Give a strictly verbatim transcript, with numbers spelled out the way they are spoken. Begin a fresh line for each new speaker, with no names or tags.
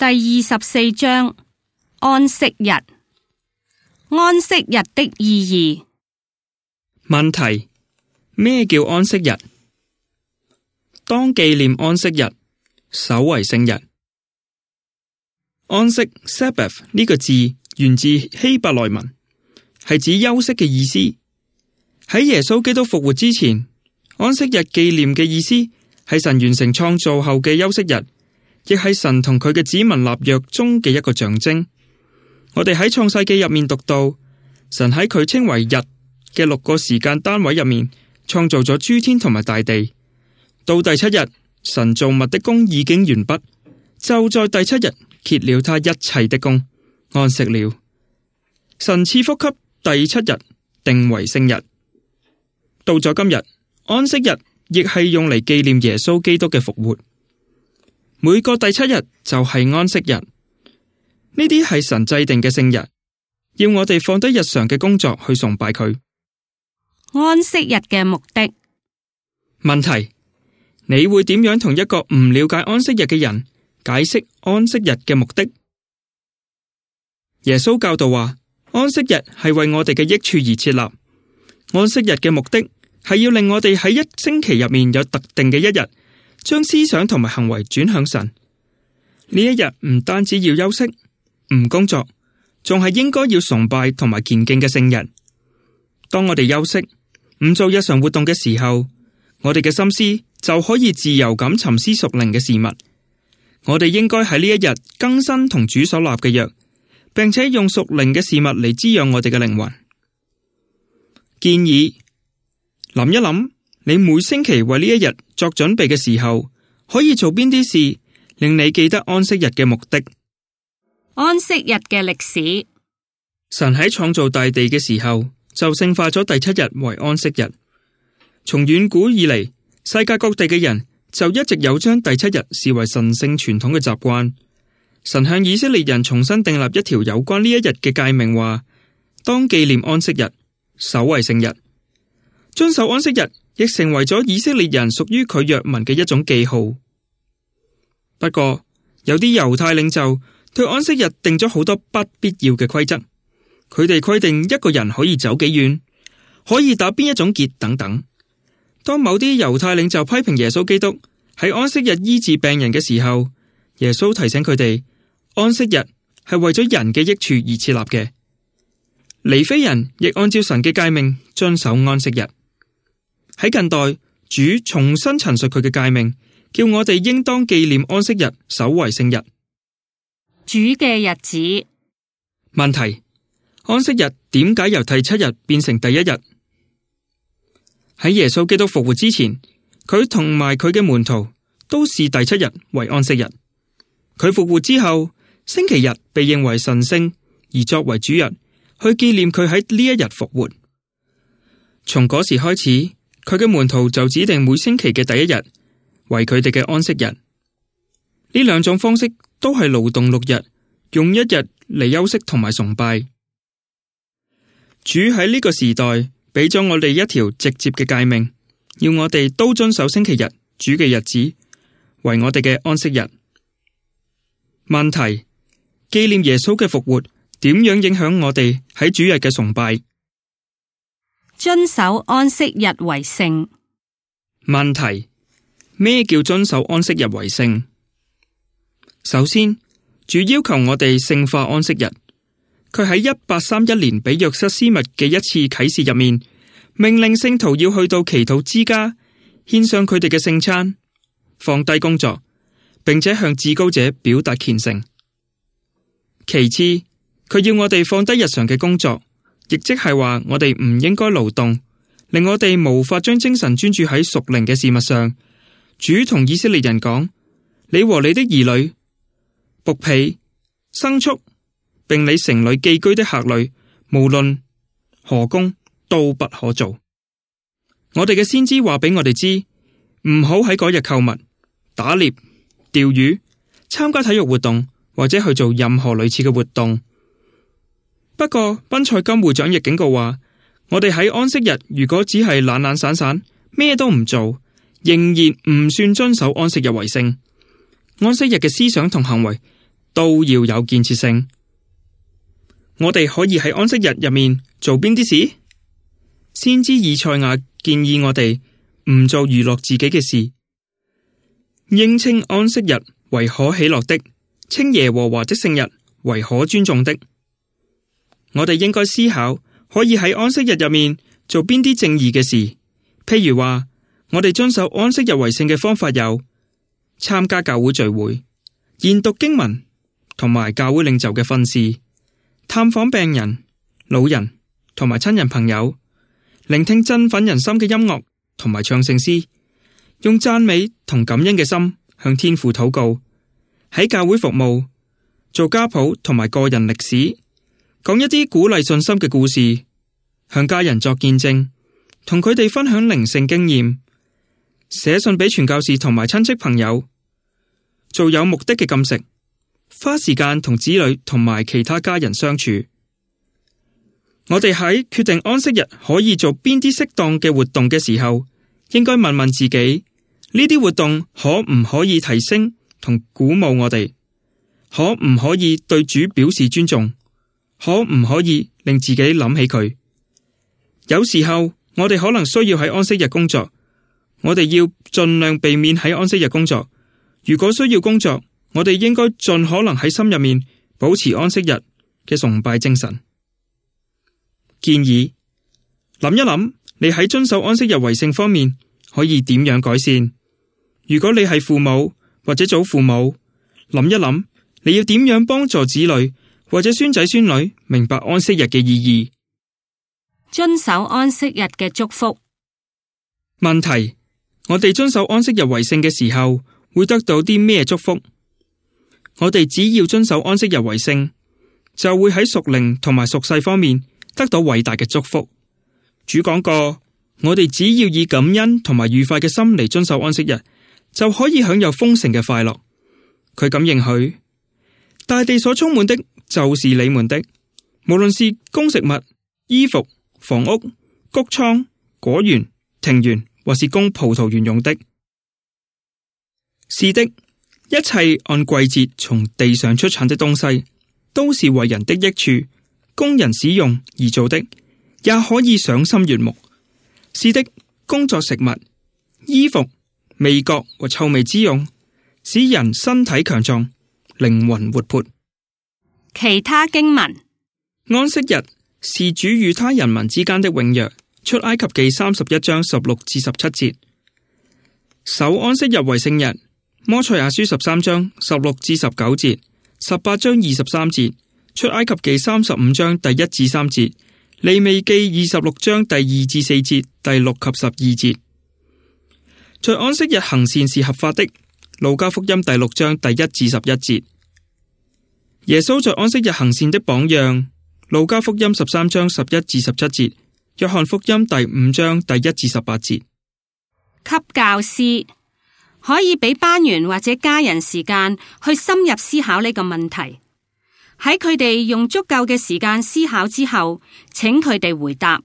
第二十四章安息日。安息日的意義。
問題：咩叫安息日？當紀念安息日，守為聖日。安息 Sabbath 呢個字源自希伯來文，係指休息嘅意思。喺耶穌基督復活之前，安息日紀念嘅意思係神完成創造後嘅休息日，亦係神同佢嘅子民立約中嘅一個象徵。我哋喺創世記入面讀到，神喺佢稱為日嘅六個時間單位入面創造咗諸天同埋大地。到第七日，神造物的工已經完畢，就在第七日歇了他一切的工，安息了。神賜福給第七日，定為聖日。到咗今日，安息日亦係用嚟紀念耶穌基督嘅復活。每個第七日就係安息日，呢啲係神制定嘅聖日，要我哋放低日常嘅工作去崇拜佢。
安息日嘅目的。
問題：你會點樣同一個唔了解安息日嘅人解釋安息日嘅目的？耶穌教導話，安息日係為我哋嘅益處而設立。安息日嘅目的係要令我哋喺一星期入面有特定嘅一日，將思想同埋行為轉向神。呢一日唔單止要休息，唔工作，仲係應該要崇拜同埋虔敬嘅聖日。當我哋休息，唔做日常活動嘅時候，我哋嘅心思就可以自由咁沉思屬靈嘅事物。我哋應該喺呢一日更新同主所立嘅約，並且用屬靈嘅事物嚟滋養我哋嘅靈魂。建議諗一諗，你每星期為呢一日作準備嘅時候，可以做邊啲事令你記得安息日嘅目的？
安息日嘅歷史。
神喺創造大地嘅時候，就聖化咗第七日為安息日。從遠古以嚟，世界各地嘅人就一直有將第七日視為神聖傳統嘅習慣。神向以色列人重新訂立一條有關呢一日嘅誡命，話當紀念安息日，守為聖日。遵守安息日亦成為咗以色列人屬於佢約民嘅一種記號。不過有啲猶太領袖對安息日定咗好多不必要嘅規則，佢哋規定一個人可以走幾遠，可以打邊一種結等等。當某啲猶太領袖批評耶穌基督喺安息日醫治病人嘅時候，耶穌提醒佢哋，安息日係為咗人嘅益處而設立嘅。尼非人亦按照神嘅誡命遵守安息日。喺近代，主重新陳述佢嘅誡命，叫我哋應當紀念安息日，守為聖日。
主嘅日子。
問題：安息日點解由第七日變成第一日？喺耶穌基督復活之前，佢同埋佢嘅門徒都視第七日為安息日。佢復活之後，星期日被認為神聖，而作為主日，去紀念佢喺呢一日復活。從嗰時開始，佢嘅門徒就指定每星期嘅第一日為佢哋嘅安息日。呢兩種方式都係勞動六日，用一日嚟休息同埋崇拜。主喺呢個時代俾咗我哋一條直接嘅誡命，要我哋都遵守星期日，主嘅日子，為我哋嘅安息日。問題：紀念耶穌嘅復活點樣影響我哋喺主日嘅崇拜？
遵守安息日為聖。
問題：咩叫遵守安息日為聖？首先，主要求我哋聖化安息日。佢喺一八三一年俾約瑟斯密嘅一次啟示入面，命令聖徒要去到祈禱之家，獻上佢哋嘅聖餐，放低工作，並且向至高者表達虔誠。其次，佢要我哋放低日常嘅工作，亦即係話我哋唔應該勞動，令我哋無法將精神專注喺屬靈嘅事物上。主同以色列人講：你和你的兒女、僕婢、牲畜，並你城裏寄居的客旅，無論何工都不可做。我哋嘅先知話俾我哋知，唔好喺嗰日購物、打獵、釣魚、參加體育活動，或者去做任何類似嘅活動。不過賓賽金會長亦警告話，我哋喺安息日如果只係懶懶散散，咩都唔做，仍然唔算遵守安息日為聖。安息日嘅思想同行為都要有建設性。我哋可以喺安息日入面做邊啲事？先知以賽亞建議我哋唔做娛樂自己嘅事，應稱安息日為可喜樂的，稱耶和華的聖日為可尊重的。我哋應該思考可以喺安息日入面做邊啲正義嘅事，譬如話我哋遵守安息日為聖嘅方法有參加教會聚會、研讀經文同埋教會領袖嘅訓示、探訪病人、老人同埋親人朋友，聆聽振奮人心嘅音樂同埋唱聖詩，用讚美同感恩嘅心向天父禱告，喺教會服務，做家譜同埋個人歷史，講一啲鼓勵信心嘅故事，向家人作見證，同佢哋分享靈性經驗，寫信俾傳教士同埋親戚朋友，做有目的嘅禁食，花時間同子女同埋其他家人相處。我哋喺決定安息日可以做邊啲適當嘅活動嘅時候，應該問問自己，呢啲活動可唔可以提升同鼓舞我哋？可唔可以對主表示尊重？可唔可以令自己諗起佢？有時候我哋可能需要喺安息日工作，我哋要盡量避免喺安息日工作。如果需要工作，我哋應該盡可能喺心入面保持安息日嘅崇拜精神。建議諗一諗，你喺遵守安息日為聖方面可以點樣改善？如果你係父母或者祖父母，諗一諗你要點樣幫助子女或者孫仔孫女明白安息日嘅意義。
遵守安息日嘅祝福。
問題：我哋遵守安息日為聖嘅時候會得到啲咩祝福？我哋只要遵守安息日為聖，就會喺屬靈同埋屬世方面得到偉大嘅祝福。主講過，我哋只要以感恩同埋愉快嘅心嚟遵守安息日，就可以享有豐盛嘅快樂。佢咁應許，大地所充滿的就是你們的，無論是供食物、衣服、房屋、穀倉、果園、庭園，或是供葡萄園用的。是的，一切按季節從地上出產的東西，都是為人的益處，供人使用而做的，也可以賞心悅目。是的，工作食物、衣服、味覺和臭味之用，使人身體強壯，靈魂活潑。
其他經文：
安息日是主與他人民之間的永約，出埃及記三十一章十六至十七節。守安息日為聖日，摩賽亞書十三章十六至十九節，十八章二十三節，出埃及記三十五章第一至三節，利未記二十六章第二至四節，第六及十二節。在安息日行善是合法的，路加福音第六章第一至十一節。耶穌在安息日行善的榜樣，路加福音十三章十一至十七節，約翰福音第五章第一至十八節。
給教師可以俾班員或者家人時間去深入思考呢個問題，喺佢哋用足夠嘅時間思考之後，請佢哋回答。